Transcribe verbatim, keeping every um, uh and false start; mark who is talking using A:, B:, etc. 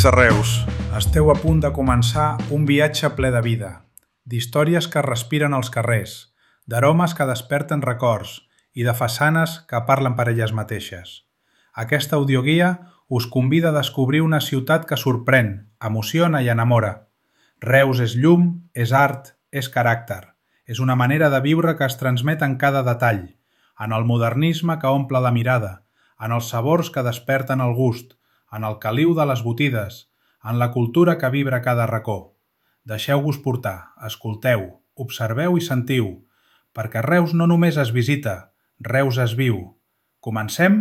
A: és a Reus?
B: Esteu a punt de començar un viatge ple de vida, d'històries que respiren als carrers, d'aromes que desperten records i de façanes que parlen per elles mateixes. Aquesta audioguia us convida a descobrir una ciutat que sorprèn, emociona i enamora. Reus és llum, és art, és caràcter. És una manera de viure que es transmet en cada detall, en el modernisme que omple la mirada, en els sabors que desperten el gust, en el caliu de les botides, en la cultura que vibra a cada racó. Deixeu-vos portar, escolteu, observeu i sentiu, perquè Reus no només es visita, Reus es viu. Comencem?